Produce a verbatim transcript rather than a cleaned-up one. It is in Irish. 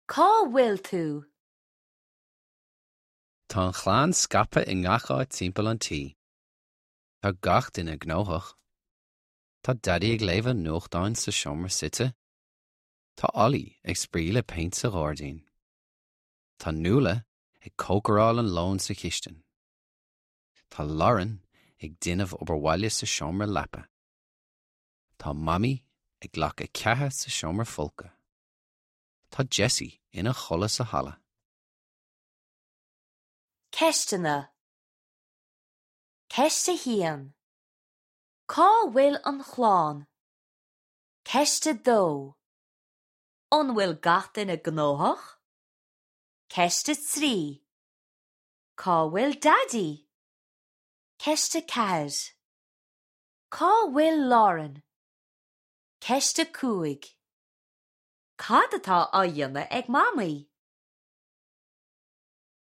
Cá bhfuil tú? Tá an chlann scaipthe i ngach áit timpeall an tí. Tá gach duine gnóthach. Tá Daidí ag léamh an nuachtáin sa seomra suite. Tá Ollie ag spraoi le péint sa ghairdín. Tá Nuala ag cócaráil an lóin sa chistin. Tá Lauren ag déanamh obair bhaile sa seomra leapa. Tá Mamaí ag glacadh ceatha sa seomra folctha. Tá Jessie ina chodladh sa halla. Ceisteanna Ceist a haon. Cá bhfuil an chlann? Ceist a dó. An bhfuil gach duine gnóthach? Ceist a trí. Cá bhfuil Daidí? Ceist a ceathair. Cá bhfuil Lauren? Ceist a cúig. Cad atá á dhéanamh ag Mamaí?